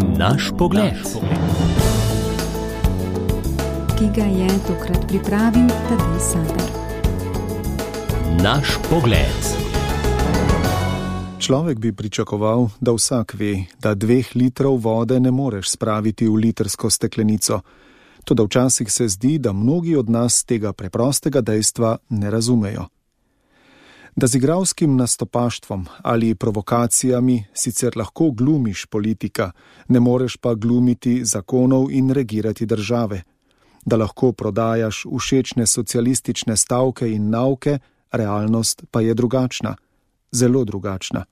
Naš pogled. Ki ga je tokrat pripravil Tadej Sadar. Naš pogled. Človek bi pričakoval, da vsak ve, da 2 litrov vode ne moreš spraviti v litrsko steklenico. Toda včasih se zdi, da mnogi od nas tega preprostega dejstva ne razumejo. Da z igralskim nastopaštvom ali provokacijami sicer lahko glumiš politika, ne moreš pa glumiti zakonov in regirati države. Da lahko prodajaš všečne socialistične stavke in nauke, realnost pa je drugačna, zelo drugačna.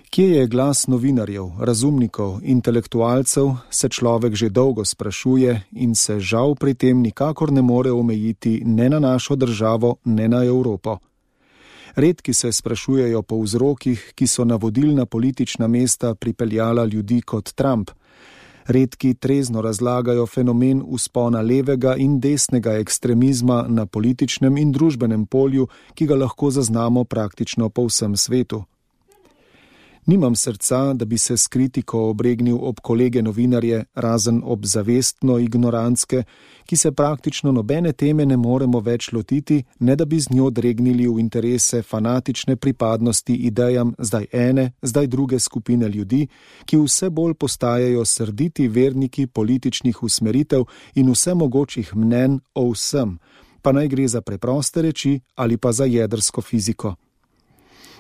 Kje je glas novinarjev, razumnikov, intelektualcev, se človek že dolgo sprašuje in se žal pri tem nikakor ne more omejiti ne na našo državo, ne na Evropo. Redki se sprašujejo po vzrokih, ki so na vodilna politična mesta pripeljala ljudi kot Trump. Redki trezno razlagajo fenomen vzpona levega in desnega ekstremizma na političnem in družbenem polju, ki ga lahko zaznamo praktično po vsem svetu. Nimam srca, da bi se s kritiko obregnil ob kolege novinarje, razen ob zavestno ignorantske, ki se praktično nobene teme ne moremo več lotiti, ne da bi z njo dregnili v interese fanatične pripadnosti idejam zdaj ene, zdaj druge skupine ljudi, ki vse bolj postajajo srditi verniki političnih usmeritev in vsemogočih mnenj o vsem, pa naj gre za preproste reči ali pa za jedrsko fiziko.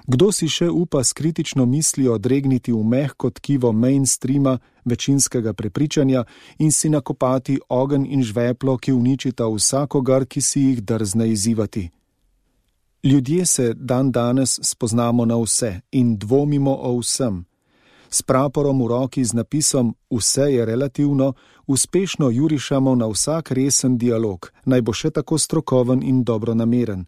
Kdo si še upa s kritično mislijo dregniti v mehko tkivo mainstreama, večinskega prepričanja in si nakopati ogenj in žveplo, ki uničita vsakogar, ki si jih drzne izzivati? Ljudje se danes spoznamo na vse in dvomimo o vsem. S praporom v roki z napisom Vse je relativno, uspešno jurišamo na vsak resen dialog, naj bo še tako strokoven in dobronameren.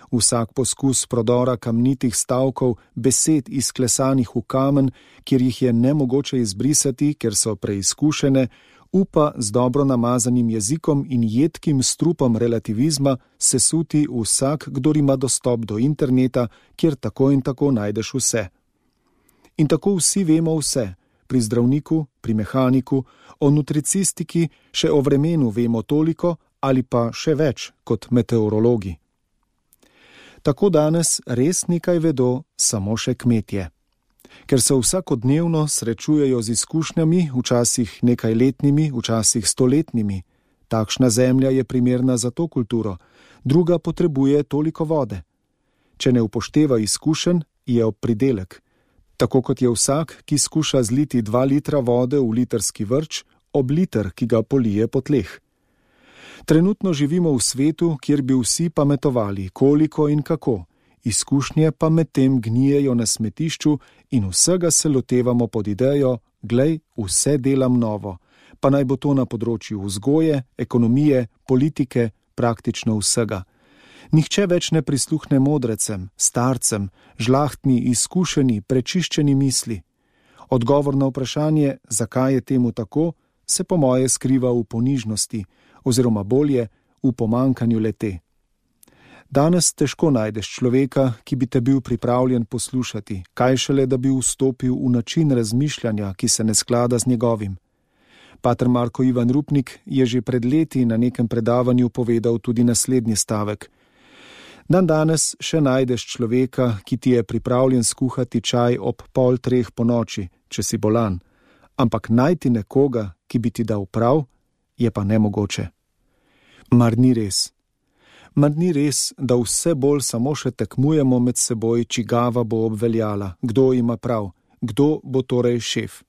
Vsak poskus prodora kamnitih stavkov, besed izklesanih v kamen, kjer jih je nemogoče izbrisati, ker so preizkušene, upa z dobro namazanim jezikom in jedkim strupom relativizma sesuti vsak, kdor ima dostop do interneta, kjer tako in tako najdeš vse. In tako vsi vemo vse, pri zdravniku, pri mehaniku, o nutricistiki, še o vremenu vemo toliko ali pa še več kot meteorologi. Tako danes res nekaj vedo samo še kmetje. Ker se vsakodnevno srečujejo z izkušnjami, včasih nekajletnimi, včasih 100-letnimi. Takšna zemlja je primerna za to kulturo, druga potrebuje toliko vode. Če ne upošteva izkušenj, je ob pridelek. Tako kot je vsak, ki skuša zliti 2 litra vode v litrski vrč, ob liter, ki ga polije po tleh. Trenutno živimo v svetu, kjer bi vsi pametovali, koliko in kako, izkušnje pa medtem gnijejo na smetišču in vsega se lotevamo pod idejo, glej, vse delam novo, pa naj bo to na področju vzgoje, ekonomije, politike, praktično vsega. Nihče več ne prisluhne modrecem, starcem, žlahtni, izkušeni, prečiščeni misli. Odgovor na vprašanje, zakaj je temu tako, se po moje skriva v ponižnosti, oziroma bolje, v pomanjkanju le-te. Danes težko najdeš človeka, ki bi te bil pripravljen poslušati, kaj šele, da bi vstopil v način razmišljanja, ki se ne sklada z njegovim. Pater Marko Ivan Rupnik je že pred leti na nekem predavanju povedal tudi naslednji stavek. Danes še najdeš človeka, ki ti je pripravljen skuhati čaj ob 2:30 ponoči, če si bolan, ampak najti nekoga, ki bi ti dal prav, je pa nemogoče. Mar ni res? Mar ni res, da vse bolj samo še tekmujemo med seboj, čigava bo obveljala, kdo ima prav, kdo bo torej šef?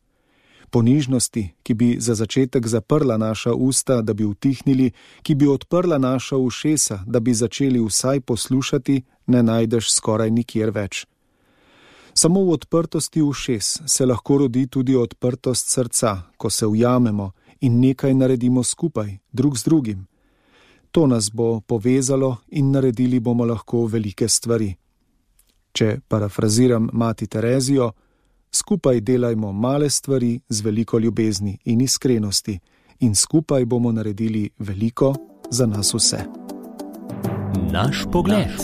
Ponižnosti, ki bi za začetek zaprla naša usta, da bi utihnili, ki bi odprla naša ušesa, da bi začeli vsaj poslušati, ne najdeš skoraj nikjer več. Samo v odprtosti ušes se lahko rodi tudi odprtost srca, ko se ujamemo in nekaj naredimo skupaj, drug z drugim. To nas bo povezalo in naredili bomo lahko velike stvari. Če parafraziram mati Terezijo, skupaj delajmo male stvari z veliko ljubezni in iskrenosti in skupaj bomo naredili veliko za nas vse. Naš pogled.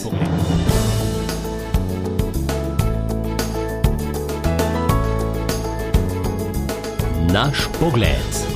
Naš pogled.